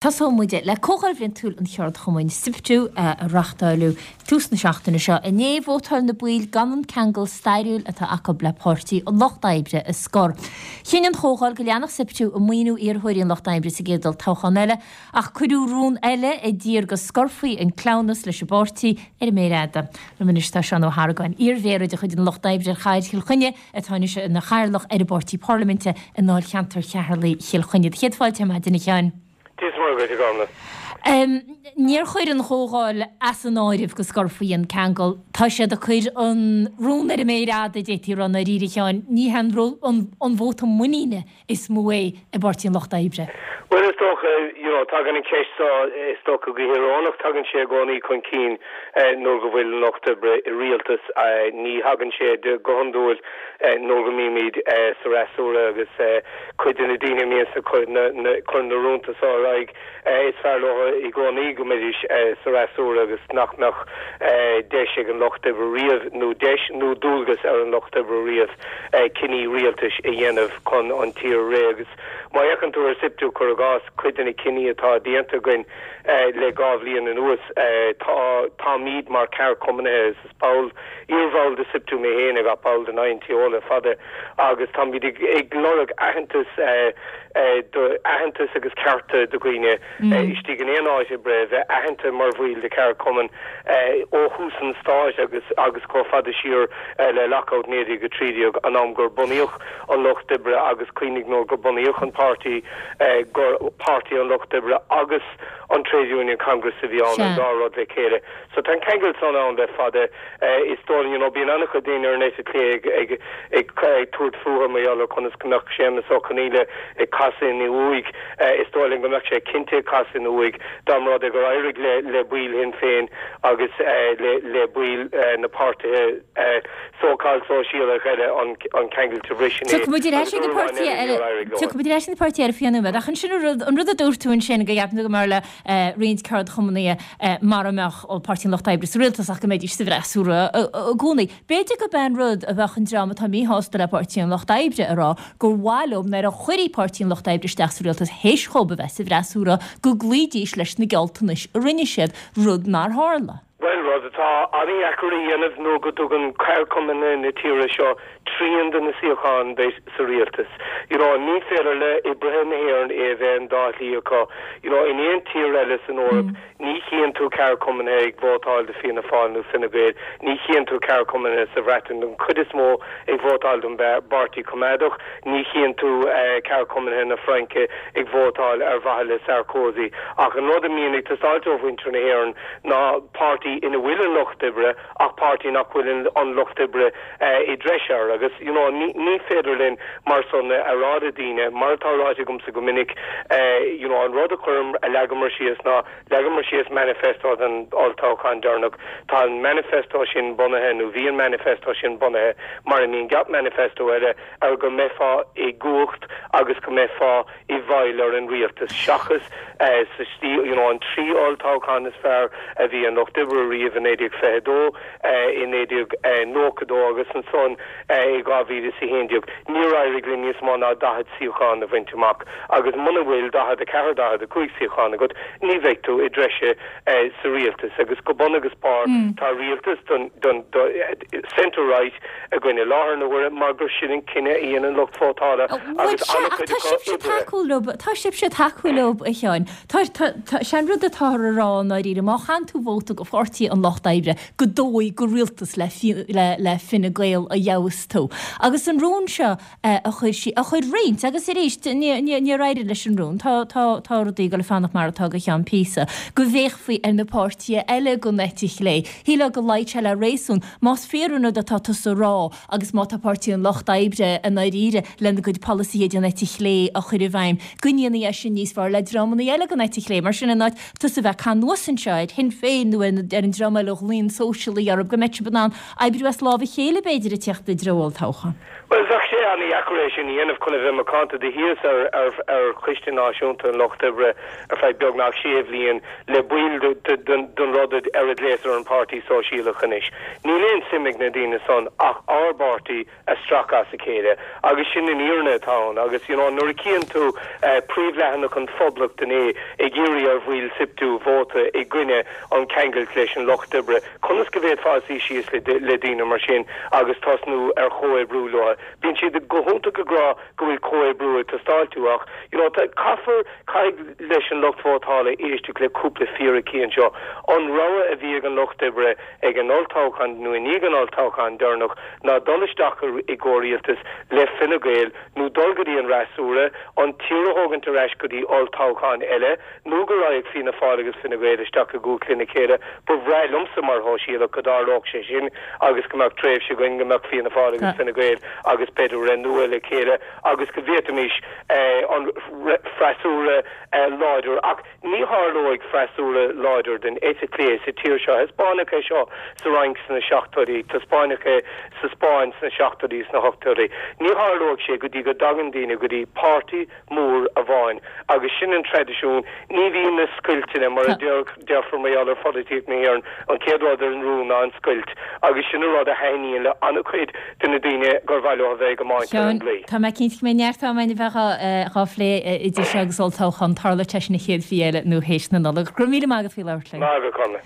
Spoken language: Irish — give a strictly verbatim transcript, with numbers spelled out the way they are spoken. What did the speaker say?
Tosóidh muid le Comhdháil Bhliantúil an Cheardchumainn SIPTU a reáchtáladh tús na seachtaine seo. Inné vótáil na baill gan an ceangal stairiúil atá acu le Páirtí an Lucht Oibre a scor. Chinn an Chomhdháil go leanfadh SIPTU ag maoiniú iarrthóirí an Lucht Oibre sa gcéad olltoghchán eile, ach cuireadh rún eile a d'iarr go scorfaí an cleamhnas leis an bpáirtí ar an méar fhada. Liom anois tá Seán Ó hArgáin, iarmhéara de chuid an Lucht Oibre ar Chathair Chill Chainnigh, atá anois ina chathaoirleach ar an bpáirtí parlaiminte i ndáilcheantar Cheatharlaigh Chill Chainnigh. Céad fáilte ar maidin, a Sheáin. Dia is Muire dhuit, a Ghormfhlaith. Níor chuir an Chomhdháil as an áireamh go scorfaí an ceangal. Tá siad ag cur an rún ar an méar fhada, d'fhéadfaí a rá i ndáiríre, a Sheáin. Ní hé an vóta muiníne is mó é i bPáirtí an Lucht Oibre. Bhuel, is dócha, you know, tagann an cheist seo, is dócha go híorónach, tagann sé i gcónaí chun cinn nuair go bhfuil an Lucht Oibre i rialtas. Ní thagann sé go hiondúil nuair go mbímid sa fhreasúra agus cuid de na daoine a mbíonn ag cur na rúnta seo ar aghaidh, is fearr leo i gcónaí go mbeidís sa fhreasúra agus nach mbeadh deis ag an Lucht Oibre riamh, nó deis nó dualgas ar an Lucht Oibre riamh, cinní rialtais a dhéanamh chun an tír a rith. Agus má fhéachann tú ar SIPTU, cuir i gcás, cuid de na cinní atá déanta againn le dhá bhliain anuas, tá, táimid mar cheardchumannaithe, is ball, iarbhall de SIPTU mé féin agus ball den I N T O le fada, agus táimid ag, ag lorg aitheantas, do, aitheantas agus cearta do dhaoine istigh in aon áit oibre a bheith aitheanta mar bhaill de cheardchumann ó thús an stáit agus, agus chomh fada siar le lockout naoi déag a trí déag, an am gur bunaíodh an Lucht Oibre agus cuimhnigh nuair gur bunaíodh an páirtí gur Páirtí an Lucht Oibre agus an Trade Union Congress a bhí ann, an dá rud le chéile. So tá an ceangal san ann le fada. Is dóigh, you know, bíonn an-chuid daoine ar an eite chlé ag, ag, ag, ag tabhairt fúthu mar gheall ar conas go mbeadh Séamus Ó Conghaile ag casadh ina uaigh. Is dóigh liom go mbeadh sé cinnte ag casadh ina uaigh dá mba rud é gur éirigh le, le baill Shinn Féin agus le, le baill na páirtithe so-called sóisialach eile an, an ceangal a bhriseadh. Tiocfaidh muid ar ais ag na páirtithe eile, tiocfaidh muid ar ais ag na páirtithe eile faoi nóiméad, ach ansin an rud, an rud a dúirt tú ansin go gceapann tú go mb'fhearr le roinnt ceardchumannaithe mara mbeadh Páirtí an Lucht Oibre sa rialtas ach go mbeidís sa bhfreasúra i gcónaí. B'fhéidir gurb é an rud a bheadh an dream atá míshásta le Páirtí an Lucht Oibre a rá gur mhaith leo nuair a chuirfí Páirtí an Lucht Oibre isteach sa rialtas théis dhóibh a bheith sa bhfreasúra go gcloídís leis na gealltanais a rinne siad, rud nár tharla. Bhuel, rud atá an-dheacair a dhéanamh nuair go dtugann ceardchumainn na tíre seo trian de na suíocháin duit sa rialtas. You know, ní féidir le oibrithe na hÉireann é a bheith an dá shlí acu. You know, in aon tír eile san Eoraip, ní chíonn tú ceardchumannaithe ag vótáil do Fianna Fáil nó Fine Gael, ní chíonn tú ceardchumannaithe sa Bhreatain den chuid is mó ag vótáil don bPáirtí Coimeádach, ní chíonn tú ceardchumannaithe na Fraince ag vótáil ar mhaithe le Sarkozy. Ach an rud a mbíonn ag teastáilt ó mhuintir na hÉireann ná páirtí ina bhfuil an Lucht Oibre ach páirtí nach bhfuil an Lucht Oibre i dtreis air agus you know, ní, ní féidir linn mar san a rá le daoine, mar atá ráite agamsa go minic, you know, an rud a chuirim a leagamar síos ná leagamar síos manifesto don olltoghchán deireanach. Tá an manifesto sin bunaithe nó bhí an manifesto sin bunaithe mar a mbíonn gach manifesto eile ar go mbeifeá i gcumhacht agus go mbeifeá i bhfeighil ar an rialtas seachas sa stíl you know, an trí olltoghchán is fearr a bhí an Lucht Oibre riamh i naoi déag fiche dó, i naoi déag nócha dó agus ansan i dhá mhíle is a haon déag. Níor éirigh linn níos mó ná daichead suíochán a bhaint amach agus muna bhfuil daichead a ceathair daichead a cúig suíochán agat ní bheidh tú i dtreise sa rialtas agus go bun agus barr tá rialtas don, don, do, centre right againn i láthair na huaire mar gur sin an cinneadh a dhein an lucht vótála agus an-chuid acu sibhse tacúil leo tá sibhse tacúil leo a Sheáin. Tá tá sé an rud atá á rá i ndáiríre má chaitheann tú vóta go Pháirtí an Lucht Oibre go dóigh go rialtas le le le Fine Gael a gheobhas tú. Agus an rún seo a chuir sí a chuir roinnt agus arís níor éirigh leis an rún tá tá tá rudaí ag dul a fanacht mar atá go ceann píosa, go bhféachfaí ar na páirtithe eile den eite chlé. Shílfeá go luífeadh sé le réasún, más fíor an rud atá tusa a rá agus má tá Páirtí an Lucht Oibre i ndáiríre lena gcuid polasaithe den eite chlé a chur i bhfeidhm, go ndéanfaí é sin níos fearr le dreamanna eile den eite chlé. Mar sin in áit tusa bheith ag cur anuas anseo ar Shinn Féin nó ar ar an dream eile a ghlaonn sóisialaigh orthu, go mbeidh sibh in ann oibriú as lámh a chéile b'fhéidir ag teacht i dtreo olltoghcháin. Bhuel, bheadh sé an-dheacair é sin a dhéanamh chun a bheith macánta. Do shuíos ar ar ar Choiste Náisiúnta an Lucht Oibre ar feadh beagnach sé bhliain le baill den rud ar a nglaotar an Páirtí Sóisialach anois. Níl aon suim ag na daoine san ach ár bpáirtí a stracadh as a chéile agus sin an fhírinne atá ann agus you know nuair a chíonn tú príomhleathanach an Phoblacht inné ag iarraidh ar bhaill SIPTU vóta i gcoinne an ceangailt leis an Lucht Oibre, conas go bhféadfá suí síos le le daoine mar sin agus tosnú ar chomhoibriú leo? Bíonn siad go hiontach ag rá go bhfuil comhoibriú ag teastáilt ach you know caithfear caithfidh leis an lucht vótála éisteacht le cúpla fíricí anseo. An rogha a bhí ag an Lucht Oibre ag an olltoghchán nó i ndiaidh an olltoghcháin deireanach ná dul isteach i gcomhrialtas le Fine Gael nó dul go dtí an fhreasúra, an tír a thógaint ar ais go dtí olltoghchán eile nó go raghadh Fianna Fáil agus Fine Gael isteach i gcumhacht lena chéile. Ba bhreá liomsa mar shóisialach go dtarlódh sé sin agus go mbeadh tréimhse againn go mbeadh Fianna Fáil agus Fine Gael agus b'fhéidir Ré Nua le chéile agus go bhféadfaimis an freasúra láidir. Ach ní tharlóidh freasúra láidir den eite chlé sa tír seo. Taispeánadh é seo sa Fhrainc sna seachtóidí, taispeánadh é sa Spáinn sna seachtóidí, sna hochtóidí. Ní tharlóidh sé go dtí go dtagann daoine go dtí páirtí mór amháin agus sin an traidisiún. Ní bhíonn na scoilteanna, mar a déarfar mar gheall ar pholaitíocht na hÉireann, an chéad rud ar an rún ná an scoilt agus sin an rud a thaitníonn le an-chuid de na daoine gur mhaith leo a bheith ag iomáint ar an gclaí. Tá mé cinnte go mbeidh neart ama againn a bheith dhá phlé idir seo agus olltoghchán, tarlóidh sé sin an chéad mhí eile nó théis na Nollag. Go raibh míle maith agat faoi labhairt linn. Maith agat, Conley.